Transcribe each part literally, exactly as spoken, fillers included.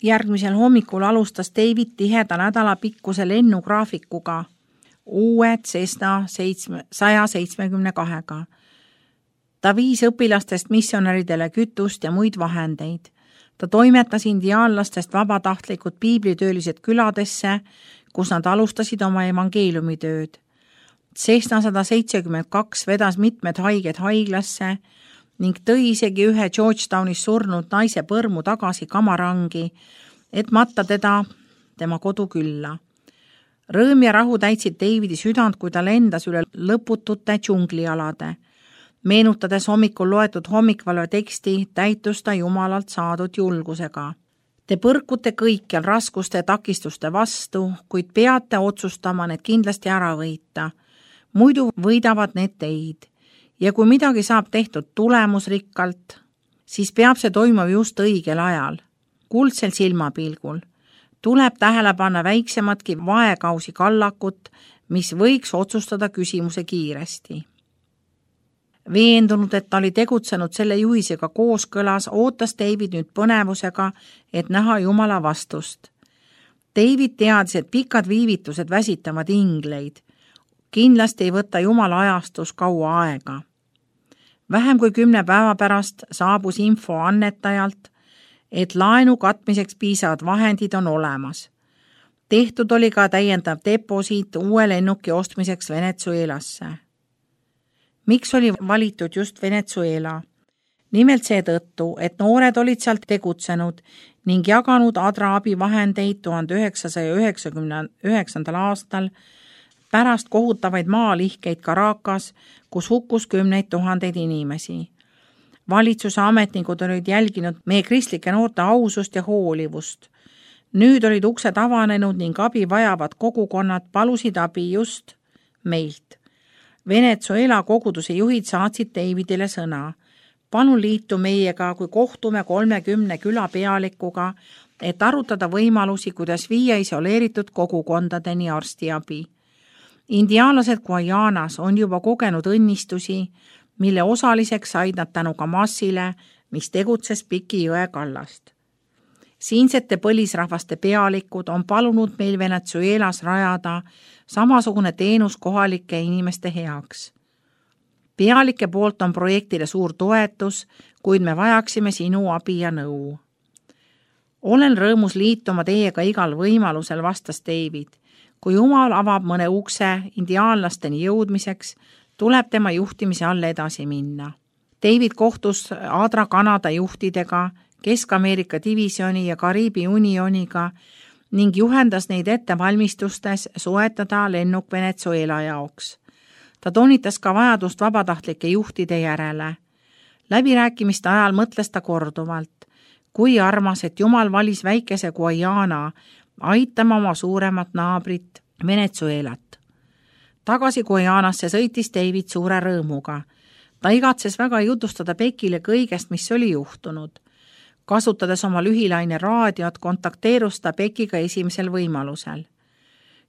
Järgmisel hommikul alustas David tiheda nädala pikkuse lennugraafikuga uue Cessna saja seitsmekümne kahega. Ta viis õpilastest missionäridele kütust ja muid vahendeid. Ta toimetas indiaanlastest vabatahtlikud piiblitöölised küladesse, kus nad alustasid oma evangeeliumitööd. Cessna sada seitsekümmend kaks vedas mitmed haiged haiglasse ning tõi isegi ühe Georgetownis surnud naise põrmu tagasi kamarangi, et matta teda tema kodukülla. Rõõm ja rahu täitsid Davidi südant, kui ta lendas üle lõputute džunglialade. Meenutades hommikul loetud hommikvalve teksti, täitus ta Jumalalt saadud julgusega. Te põrkute kõikjal raskuste ja takistuste vastu, kuid peate otsustama need kindlasti ära võita. Muidu võidavad need teid. Ja kui midagi saab tehtud tulemusrikkalt, siis peab see toimuma just õigel ajal, kuldsel silmapilgul. Tuleb tähele panna väiksematki vaekausi kallakut, mis võiks otsustada küsimuse kiiresti. Veendunud, et ta oli tegutsenud selle juhisega kooskõlas, ootas David nüüd põnevusega, et näha Jumala vastust. David teadis, et pikad viivitused väsitavad ingleid. Kindlasti ei võta Jumala ajastus kaua aega. Vähem kui kümne päeva pärast saabus info annetajalt, et laenu katmiseks piisavad vahendid on olemas. Tehtud oli ka täiendav deposiit uue lennuki ostmiseks Venezuelasse. Miks oli valitud just Venezuela? Nimelt seetõttu, et noored olid sealt tegutsenud ning jaganud Adra abivahendeid tuhande üheksasaja üheksakümne üheksandal aastal pärast kohutavaid maalihkeid Caracas, kus hukkus kümneid tuhandeid inimesi. Valitsuse ametnikud olid jälginud meie kristlike noorte ausust ja hoolivust. Nüüd olid uksed avanenud ning abi vajavad kogukonnad palusid abi just meilt. Venezuela koguduse juhid saatsid Davidile sõna. Palun liitu meiega, kui kohtume kolmekümne küla pealikuga, et arutada võimalusi, kuidas viia isoleeritud kogukondadeni arstiabi. Indiaanlased Guajanas on juba kogenud õnnistusi, mille osaliseks said nad tänu Kamasile, mis tegutses Piki jõe kallast. Siinsete põlisrahvaste pealikud on palunud meil Venezuelas rajada samasugune teenus kohalike inimeste heaks. Pealike poolt on projektile suur toetus, kuid me vajaksime sinu abi ja nõu. Olen rõõmus liituma teiega igal võimalusel, vastas David. Kui Jumal avab mõne ukse indiaanlasteni jõudmiseks, tuleb tema juhtimise all edasi minna. David kohtus Adra Kanada juhtidega, Kesk-Ameerika divisjoni ja Kariibi unioniga ning juhendas neid ettevalmistustes soetada lennuk Venezuela jaoks. Ta toonitas ka vajadust vabatahtlike juhtide järele. Läbirääkimiste ajal mõtles ta korduvalt, kui armas, et Jumal valis väikese Guajana aitama oma suuremat naabrit Venezuelat. Tagasi Guajanasse sõitis David suure rõõmuga. Ta igatses väga jutustada Bekile kõigest, mis oli juhtunud. Kasutades oma lühilaine raadiot, kontakteerus ta Bekiga esimesel võimalusel.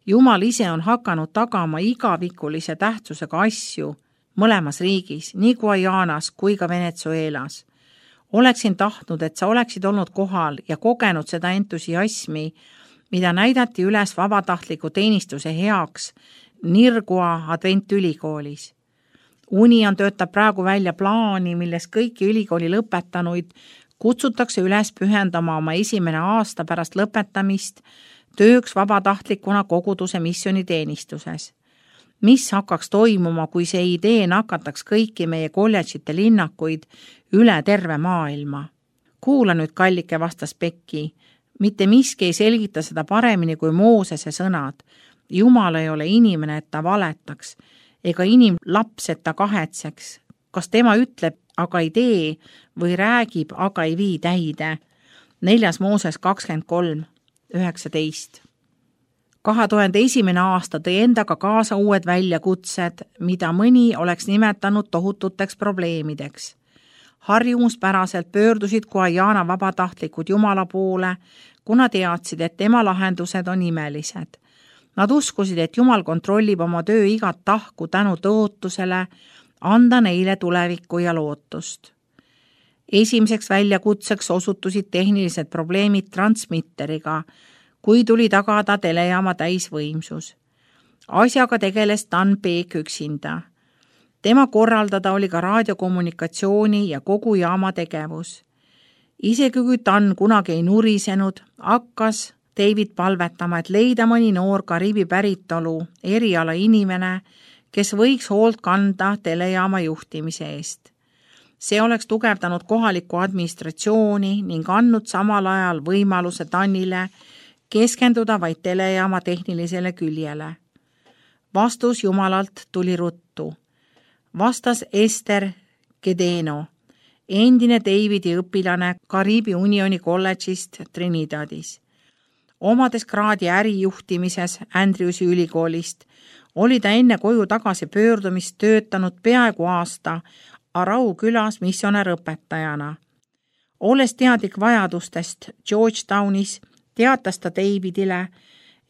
Jumal ise on hakanud tagama igavikulise tähtsusega asju mõlemas riigis, nii Guajanas kui ka Venezuelas. Oleksin tahtnud, et sa oleksid olnud kohal ja kogenud seda entusiasmi, mida näidati üles vabatahtliku teenistuse heaks Nirgua Adventülikoolis. Union töötab praegu välja plaani, milles kõiki ülikooli lõpetanuid kutsutakse üles pühendama oma esimene aasta pärast lõpetamist tööks vabatahtlikuna koguduse missioniteenistuses. Mis hakkaks toimuma, kui see idee nakataks kõiki meie kolledžite linnakuid üle terve maailma? Kuula nüüd, kallike, vastas Beki. Mitte miski ei selgita seda paremini kui Moosese sõnad. Jumal ei ole inimene, et ta valetaks, ega inimlaps, et ta kahetseks. Kas tema ütleb, aga ei tee, või räägib, aga ei vii täide? Neljas Mooses kakskümmend kolm üheksateist. kahe tuhande esimene aasta tõi endaga kaasa uued väljakutsed, mida mõni oleks nimetanud tohututeks probleemideks. Harjumuspäraselt pöördusid Guajana vabatahtlikud Jumala poole, kuna teadsid, et tema lahendused on imelised. Nad uskusid, et Jumal kontrollib oma töö igat tahku tänu tõotusele anda neile tulevikku ja lootust. Esimeseks väljakutseks osutusid tehnilised probleemid transmitteriga, kui tuli tagada telejaama täisvõimsus. Asjaga tegeles Dan Peek üksinda. Tema korraldada oli ka raadiokommunikatsiooni ja kogu jaama tegevus. Isegi kui Dan kunagi ei nurisenud, hakkas David palvetama, et leida mõni noor Kariibi päritolu eriala inimene, kes võiks hoolt kanda telejaama juhtimise eest. See oleks tugevdanud kohalikku administratsiooni ning andnud samal ajal võimaluse Danile keskenduda vaid telejaama tehnilisele küljele. Vastus Jumalalt tuli ruttu. Vastas Ester Gedeno, endine Davidi õpilane Kariibi Unioni kolledžist Trinidadis. Omades kraadi ärijuhtimises Andrewsi ülikoolist, oli ta enne koju tagasi pöördumist töötanud peaaegu aasta Arau külas missionärõpetajana. Olles teadlik vajadustest Georgetownis, teatas ta Davidile,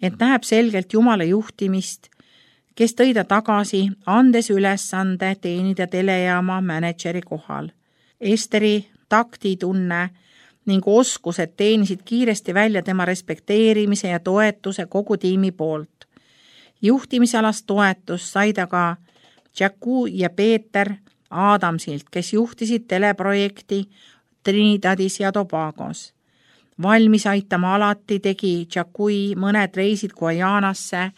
et näeb selgelt Jumala juhtimist, kes tõi ta tagasi, andes ülesande teenida telejaama mänedžeri kohal. Esteri taktitunne ning oskused teenisid kiiresti välja tema respekteerimise ja toetuse kogu tiimi poolt. Juhtimisalast toetust sai ta ka Jacku ja Peeter Adamsilt, kes juhtisid teleprojekti Trinidadis ja Tobagos. Valmis aitama alati tegi Jackui mõned reisid Guajanasse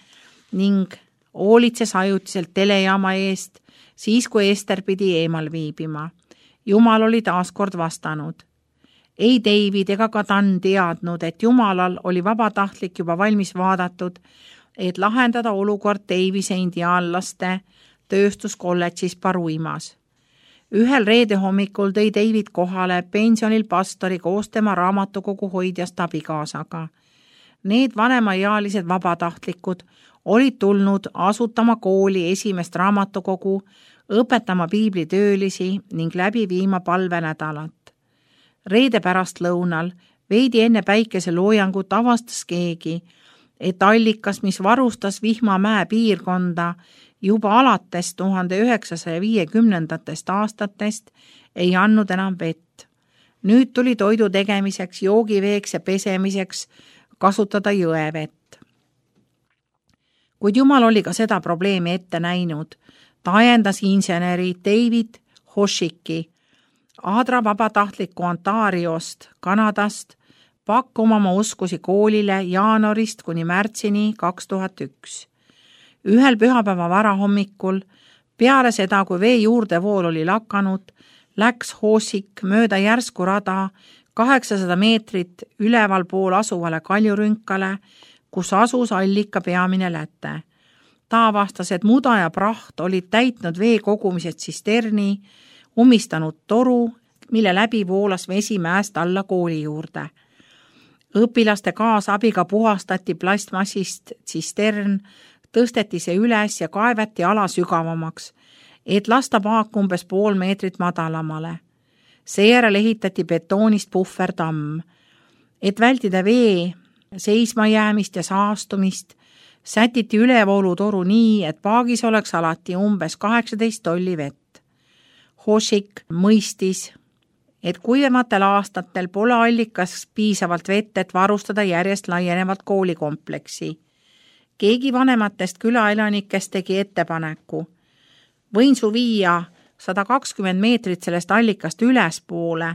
ning hoolitses ajutiselt telejaama eest, siis kui Ester pidi eemal viibima. Jumal oli taaskord vastanud. Ei David ega ka Dan teadnud, et Jumalal oli vabatahtlik juba valmis vaadatud, et lahendada olukord Davise indiaanlaste tööstuskolledžis Paruimas. Ühel reede hommikul tõi David kohale pensionil pastori koos tema raamatukogu hoidjast abikaasaga. Need vanemaealised vabatahtlikud olid tulnud asutama kooli esimest raamatukogu, õpetama piiblitöölisi ning läbi viima palvenädalat. Reede pärast lõunal, veidi enne päikeseloojangut avastas keegi, et allikas, mis varustas Vihmamäe piirkonda juba alates tuhande üheksasaja viiekümnendatest aastatest, ei andnud enam vett. Nüüd tuli toidu tegemiseks, joogiveeks ja pesemiseks kasutada jõevett. Kuid Jumal oli ka seda probleemi ette näinud. Ta ajendas inseneri David Hoshiki, Aadra vabatahtliku Ontariost, Kanadast, pakkuma oma oskusi koolile jaanuarist kuni märtsini kaks tuhat üks. Ühel pühapäeva varahommikul, peale seda, kui vee juurdevool oli lakanud, läks Hoshik mööda järsku rada kaheksasada meetrit üleval pool asuvale kaljurünkale, kus asus allika peamine läte. Ta avastas, et muda ja praht olid täitnud vee kogumised tsisterni, umistanud toru, mille läbi voolas vesi mäest alla kooli juurde. Õpilaste kaasabiga puhastati plastmassist tsistern, tõsteti see üles ja kaevati ala sügavamaks, et lasta paak umbes pool meetrit madalamale. Seejärel ehitati betoonist puhvertamm. Et vältida vee seismajäämist ja saastumist, sätiti ülevoolutoru nii, et paagis oleks alati umbes kaheksateist tolli vett. Hoshik mõistis, et kuivematel aastatel pole allikas piisavalt vett, et varustada järjest laienevat koolikompleksi. Keegi vanematest külaelanikest tegi ettepaneku. Võin su viia sada kakskümmend meetrit sellest allikast ülespoole,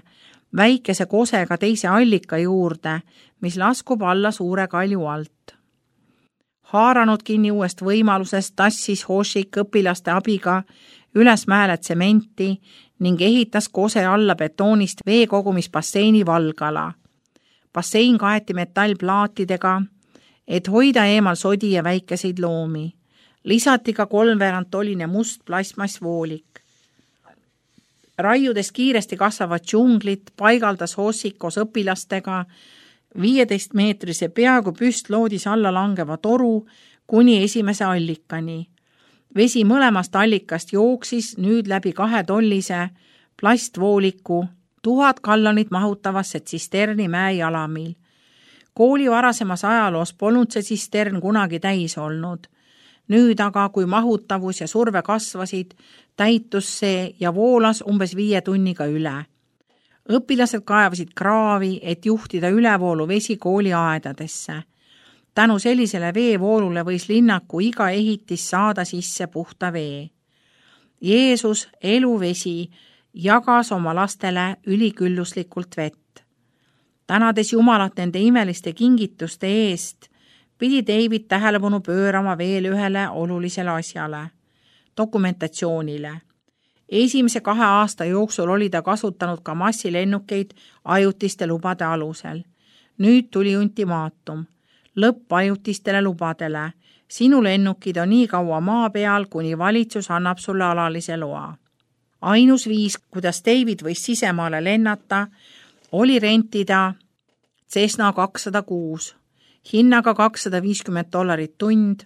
väikese kosega teise allika juurde, mis laskub alla suure kalju alt. Haaranud kinni uuest võimalusest tassis Hoshik õpilaste abiga üles mäele tsementi ning ehitas kose alla betoonist veekogumisbasseini valgala. Bassein kaeti metallplaatidega, et hoida eemal sodi ja väikeseid loomi. Lisati ka kolmveerandtolline must plastmassvoolik. Raiudes kiiresti kasvavad džunglit paigaldas Hoshik koos õpilastega viieteist meetrise peaaegu püstloodis alla langeva toru kuni esimese allikani. Vesi mõlemast allikast jooksis nüüd läbi kahe tollise plastvooliku tuhat gallonit mahutavasse tsisterni mäejalamil. Kooli varasemas ajaloos polnud see tsistern kunagi täis olnud. Nüüd aga, kui mahutavus ja surve kasvasid, täitus see ja voolas umbes viie tunniga üle. õpilased kaevasid kraavi, et juhtida ülevoolu vesi kooliaedadesse. Tänu sellisele veevoolule võis linnaku iga ehitis saada sisse puhta vee. Jeesus, eluvesi, jagas oma lastele ülikülluslikult vett. Tänades Jumalat nende imeliste kingituste eest, pidi David tähelepanu pöörama veel ühele olulisele asjale, dokumentatsioonile. Esimese kahe aasta jooksul oli ta kasutanud ka massilennukeid ajutiste lubade alusel. Nüüd tuli ultimaatum, lõpp ajutistele lubadele. Sinu lennukid on nii kaua maa peal, kuni valitsus annab sulle alalise loa. Ainus viis, kuidas David võis sisemaale lennata, oli rentida Cessna kakssada kuus, hinnaga kakssada viiskümmend dollarit tund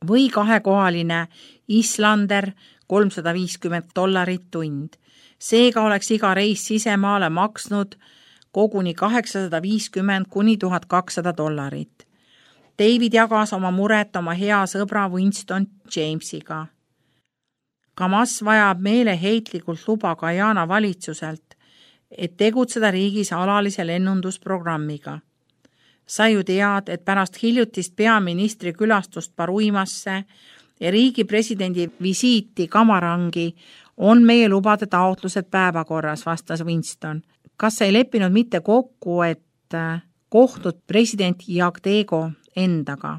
või kahekohaline Islander kolmsada viiskümmend dollarit tund. Seega oleks iga reis sisemaale maksnud koguni kaheksasada viiskümmend kuni tuhat kakssada dollarit. David jagas oma muret oma hea sõbra Winston Jamesiga. Kamas vajab meeleheitlikult luba Guyana valitsuselt, et tegutseda riigis alalise lennundusprogrammiga. Sa ju tead, et pärast hiljutist peaministri külastust Paruimasse ja riigi presidendi visiiti Kamarangi on meie lubade taotlused päevakorras, vastas Winston. Kas sa ei leppinud mitte kokku, et kohtud president Jagdego endaga?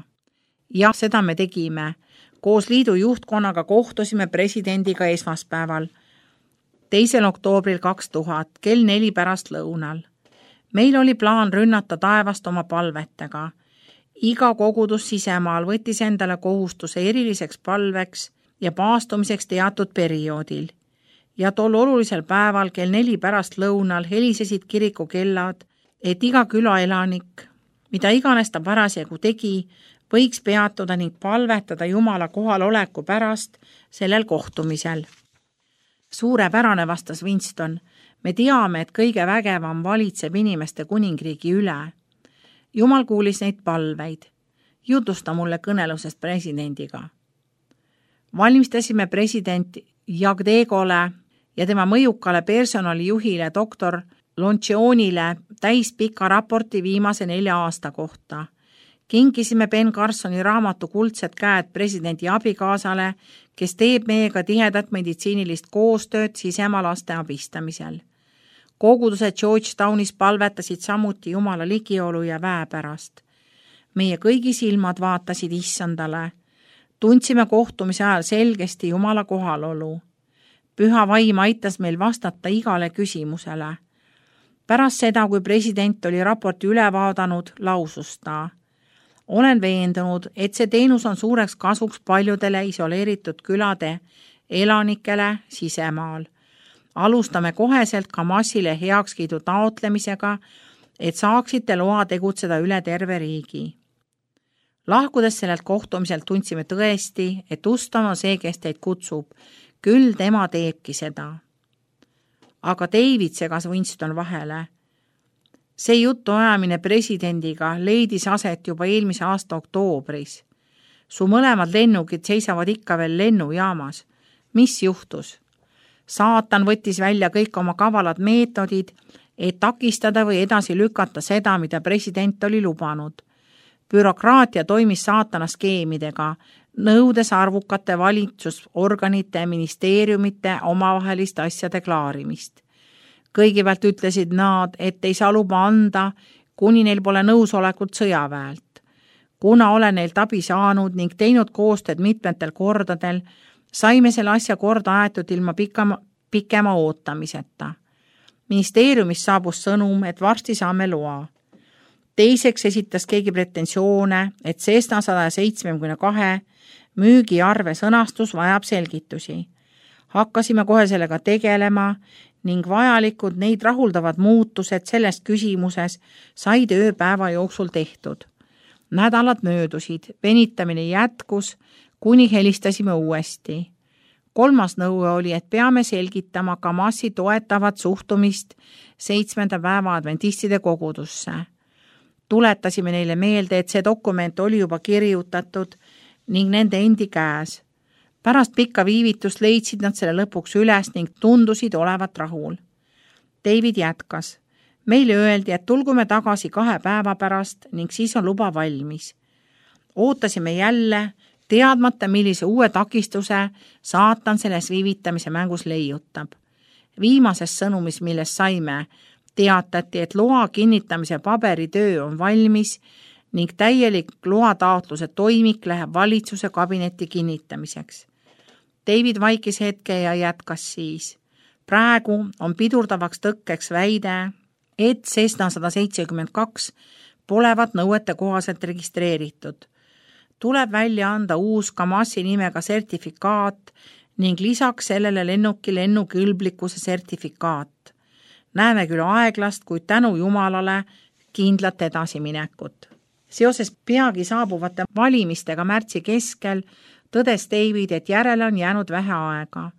Jah, seda me tegime. Koos liidu juhtkonnaga kohtusime presidendiga esmaspäeval, teisel oktoobril kaks tuhat, kell neli pärast lõunal. Meil oli plaan rünnata taevast oma palvetega. Iga kogudus sisemaal võttis endale kohustuse eriliseks palveks ja paastumiseks teatud perioodil. Ja tol olulisel päeval kell neli pärast lõunal helisesid kiriku kellad, et iga külaelanik, mida iganes ta parasjagu tegi, võiks peatuda ning palvetada Jumala kohaloleku pärast sellel kohtumisel. Suurepärane, vastas Winston. Me teame, et kõige vägevam valitseb inimeste kuningriigi üle. Jumal kuulis neid palveid. Jutusta mulle kõnelusest presidendiga. Valmistasime president Jagdegole ja tema mõjukale personalijuhile doktor Loncionile täispika raporti viimase nelja aasta kohta. Kinkisime Ben Carsoni raamatu Kuldsed käed presidendi abikaasale, kes teeb meiega tihedat meditsiinilist koostööd sisemaa laste abistamisel. Kogudused Georgetownis palvetasid samuti Jumala ligiolu ja väe pärast. Meie kõigi silmad vaatasid issandale. Tundsime kohtumise ajal selgesti Jumala kohalolu. Püha vaim aitas meil vastata igale küsimusele. Pärast seda, kui president oli raporti üle vaadanud, lausus ta. Olen veendunud, et see teenus on suureks kasuks paljudele isoleeritud külade elanikele sisemaal. Alustame koheselt Kamasile heakskiidu taotlemisega, et saaksite loa tegutseda üle terve riigi. Lahkudes sellelt kohtumiselt tundsime tõesti, et ustama see, kes teid kutsub. Küll tema teebki seda. Aga David segas Winston vahele. See jutu ajamine presidendiga leidis aset juba eelmise aasta oktoobris. Su mõlemad lennukid seisavad ikka veel lennujaamas. Mis juhtus? Saatan võttis välja kõik oma kavalad meetodid, et takistada või edasi lükata seda, mida president oli lubanud. Bürokraatia toimis saatana skeemidega, nõudes arvukate valitsusorganite ja ministeeriumite omavahelist asjade klaarimist. Kõigepealt ütlesid nad, et ei saa luba anda, kuni neil pole nõusolekut sõjaväelt. Kuna olen neilt abi saanud ning teinud koostööd mitmetel kordadel, saime selle asja korda aetud ilma pikema, pikema ootamiseta. Ministeeriumis saabus sõnum, et varsti saame loa. Teiseks esitas keegi pretensioone, et Cessna sada seitsekümmend kaks müügiarve sõnastus vajab selgitusi. Hakkasime kohe sellega tegelema ning vajalikud neid rahuldavad muutused selles küsimuses said ööpäeva jooksul tehtud. Nädalad möödusid, venitamine jätkus, kuni helistasime uuesti. Kolmas nõue oli, et peame selgitama Kamasi toetavat suhtumist seitsmenda päeva adventistide kogudusse. Tuletasime neile meelde, et see dokument oli juba kirjutatud ning nende endi käes. Pärast pikka viivitust leidsid nad selle lõpuks üles ning tundusid olevat rahul. David jätkas. Meile öeldi, et tulgume tagasi kahe päeva pärast ning siis on luba valmis. Ootasime jälle, teadmata, millise uue takistuse saatan selles viivitamise mängus leiutab. Viimases sõnumis, millest saime, teatati, et loa kinnitamise paberitöö on valmis ning täielik loataotluse toimik läheb valitsuse kabinetti kinnitamiseks. David vaikis hetke ja jätkas siis. Praegu on pidurdavaks tõkkeks väide, et Cessna sada seitsekümmend kaks polevat nõuete kohaselt registreeritud. Tuleb välja anda uus Kamasi nimega sertifikaat ning lisaks sellele lennuki lennukõlblikkuse sertifikaat. Näeme küll aeglast, kuid tänu Jumalale kindlat edasiminekut. Seoses peagi saabuvate valimistega märtsi keskel tõdes David, et järele on jäänud vähe aega.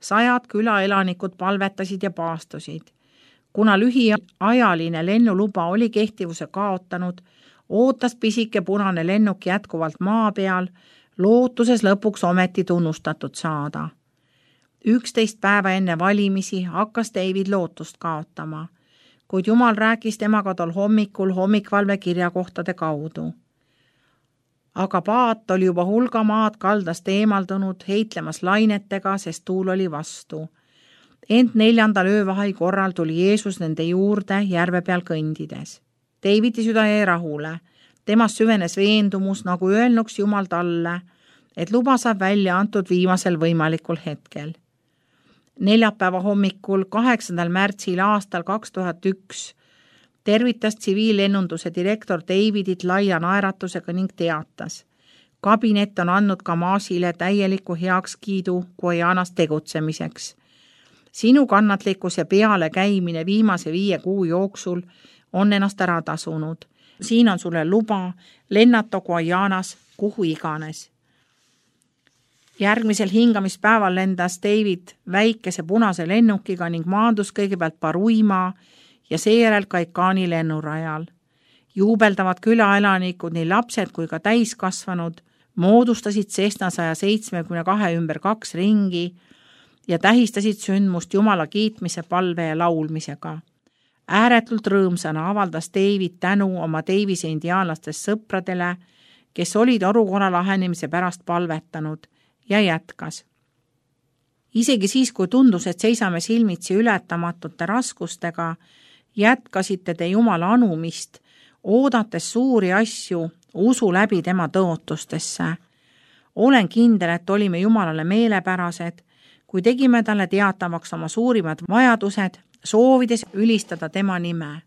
Sajad külaelanikud palvetasid ja paastusid. Kuna lühiajaline lennuluba oli kehtivuse kaotanud, ootas pisike punane lennuk jätkuvalt maa peal, lootuses lõpuks ometi tunnustatud saada. Üksteist päeva enne valimisi hakkas David lootust kaotama, kuid Jumal rääkis temaga tol hommikul hommikvalve kirjakohtade kaudu. Aga paat oli juba hulga maad kaldast eemaldunud heitlemas lainetega, sest tuul oli vastu. Ent neljandal öövahai korral tuli Jeesus nende juurde järve peal kõndides. Davidi süda jäi rahule. Temas süvenes veendumus, nagu öelnuks Jumal talle, et luba saab välja antud viimasel võimalikul hetkel. Neljapäeva hommikul, kaheksandal märtsil aastal kaks tuhat üks, tervitas tsiviillennunduse direktor Davidit laia naeratusega ning teatas. Kabinet on andnud Kamasile täieliku heakskiidu Guajanas tegutsemiseks. Sinu kannatlikkus ja peale käimine viimase viie kuu jooksul on ennast ära tasunud. Siin on sulle luba lennata Guajanas kuhu iganes. Järgmisel hingamispäeval lendas David väikese punase lennukiga ning maandus kõigepealt Baruima ja seejärel Kaikani lennurajal. Juubeldavad külaelanikud, nii lapsed kui ka täiskasvanud, moodustasid Cessna sada seitsekümmend kaks ümber kaks ringi ja tähistasid sündmust Jumala kiitmise palve ja laulmisega. Ääretult rõõmsana avaldas David tänu oma Davise indiaanlastest sõpradele, kes olid olukorra lahenemise pärast palvetanud, ja jätkas. Isegi siis, kui tundus, et seisame silmitsi ületamatute raskustega, jätkasite te Jumala anumist, oodates suuri asju usu läbi tema tõotustesse. Olen kindel, et olime Jumalale meelepärased, kui tegime talle teatavaks oma suurimad vajadused, soovides ülistada tema nime.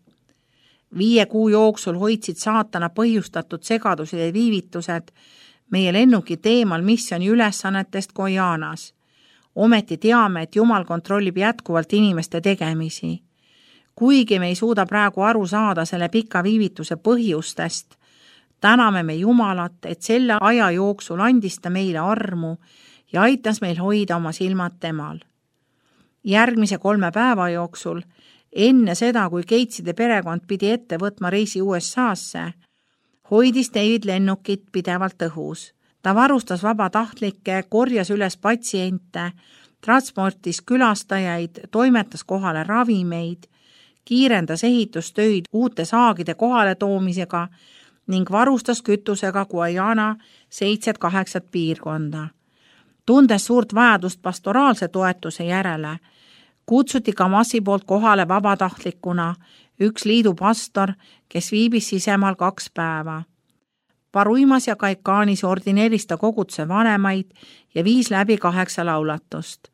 Viie kuu jooksul hoidsid saatana põhjustatud segadused ja viivitused meie lennuki teemal missiooni ülesannetest Guajanas. Ometi teame, et Jumal kontrollib jätkuvalt inimeste tegemisi. Kuigi me ei suuda praegu aru saada selle pika viivituse põhjustest, täname me Jumalat, et selle aja jooksul andis ta meile armu ja aitas meil hoida oma silmad temal. Järgmise kolme päeva jooksul, enne seda, kui Gateside perekond pidi ette võtma reisi U S A-sse, hoidis David lennukit pidevalt õhus. Ta varustas vabatahtlikke, korjas üles patsiente, transportis külastajaid, toimetas kohale ravimeid, kiirendas ehitustöid uute saagide kohale toomisega ning varustas kütusega Guajana seitset kaheksat piirkonda. Tundes suurt vajadust pastoraalse toetuse järele, kutsuti Kamasi poolt kohale vabatahtlikuna üks liidu pastor, kes viibis sisemaal kaks päeva. Baruimas ja Kaikanis ordineeris ta koguduse vanemaid ja viis läbi kaheksa laulatust.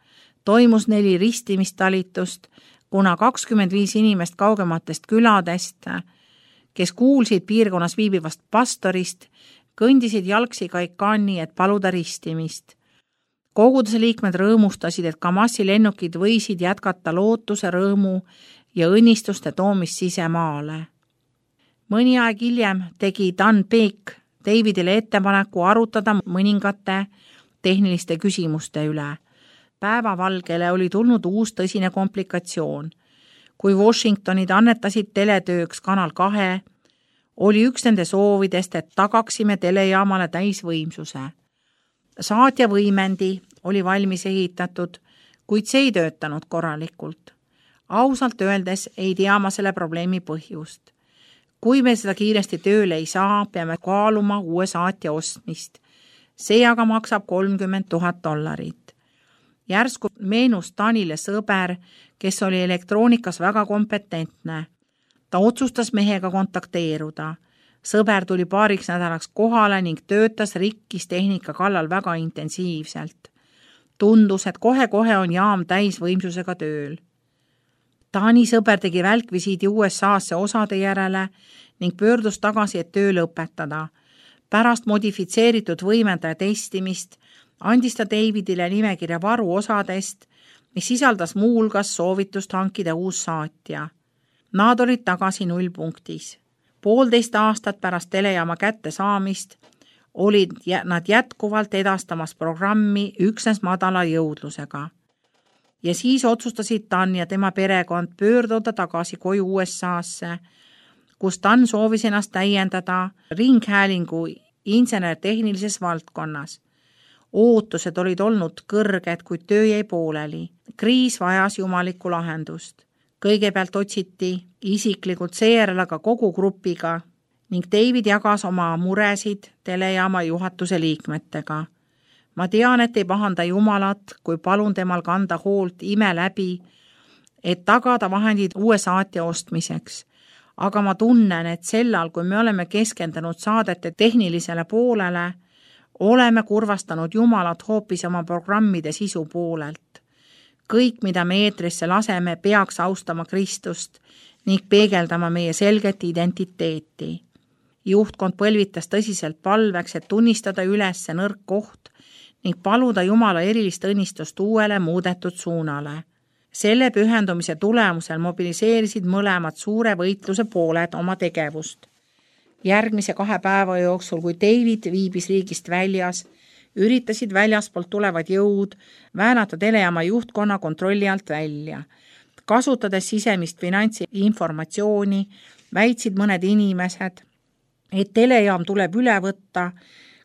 Toimus neli ristimistalitust, kuna kakskümmend viis inimest kaugematest küladest, kes kuulsid piirkonnas viibivast pastorist, kõndisid jalgsi Kaikani, et paluda ristimist. Koguduse liikmed rõõmustasid, et Kamasi lennukid võisid jätkata lootuse, rõõmu ja õnnistuste toomist sisemaale. Mõni aeg hiljem tegi Dan Peek Davidile ettepaneku arutada mõningate tehniliste küsimuste üle. Päevavalgele oli tulnud uus tõsine komplikatsioon. Kui Washingtonid annetasid teletööks Kanal kahe, oli üks nende soovidest, et tagaksime telejaamale täisvõimsuse. Saatja võimendi oli valmis ehitatud, kuid see ei töötanud korralikult. Ausalt öeldes ei tea ma selle probleemi põhjust. Kui me seda kiiresti tööle ei saa, peame kaaluma uue saatja ostmist. See aga maksab kolmkümmend tuhat dollarit. Järsku meenus Tanile sõber, kes oli elektroonikas väga kompetentne. Ta otsustas mehega kontakteeruda. Sõber tuli paariks nädalaks kohale ning töötas rikkis tehnika kallal väga intensiivselt. Tundus, et kohe-kohe on jaam täisvõimsusega tööl. Taani sõber tegi välkvisiidi U S A-sse osade järele ning pöördus tagasi, et töö lõpetada. Pärast modifitseeritud võimendaja testimist andis ta Davidile nimekirja varuosadest, mis sisaldas muu hulgas soovitust hankida uus saatja. Nad olid tagasi nullpunktis. Poolteist aastat pärast telejaama kätte saamist olid nad jätkuvalt edastamas programmi üksnes madala jõudlusega. Ja siis otsustasid Dan ja tema perekond pöörduda tagasi koju U S A-sse, kus Dan soovis ennast täiendada ringhäälingu insener-tehnilises valdkonnas. Ootused olid olnud kõrged, kuid töö jäi pooleli. Kriis vajas jumalikku lahendust. Kõigepealt otsiti isiklikult seejärel aga kogu grupiga ning David jagas oma muresid telejaama juhatuse liikmetega. Ma tean, et ei pahanda Jumalat, kui palun temal kanda hoolt ime läbi, et tagada vahendid uue saatja ostmiseks. Aga ma tunnen, et sellal, kui me oleme keskendunud saadete tehnilisele poolele, oleme kurvastanud Jumalat hoopis oma programmide sisu poolelt. Kõik, mida me eetrisse laseme, peaks austama Kristust ning peegeldama meie selget identiteeti. Juhtkond põlvitas tõsiselt palveks, et tunnistada üles nõrk koht ning paluda Jumala erilist õnnistust uuele muudetud suunale. Selle pühendumise tulemusel mobiliseerisid mõlemad suure võitluse pooled oma tegevust. Järgmise kahe päeva jooksul, kui David viibis riigist väljas, üritasid väljaspoolt tulevad jõud väänata telejaama juhtkonna kontrolli alt välja. Kasutades sisemist finantsi informatsiooni, väitsid mõned inimesed, et telejaam tuleb üle võtta,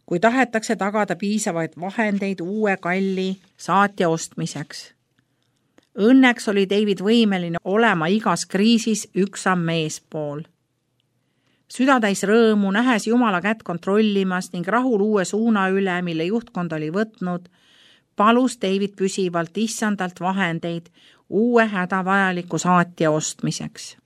kui tahetakse tagada piisavaid vahendeid uue kalli saatja ostmiseks. Õnneks oli David võimeline olema igas kriisis üks samm eespool. Südatäis rõõmu, nähes Jumala kätt kontrollimas ning rahul uue suuna üle, mille juhtkond oli võtnud, palus David püsivalt issandalt vahendeid uue hädavajaliku saatja ostmiseks.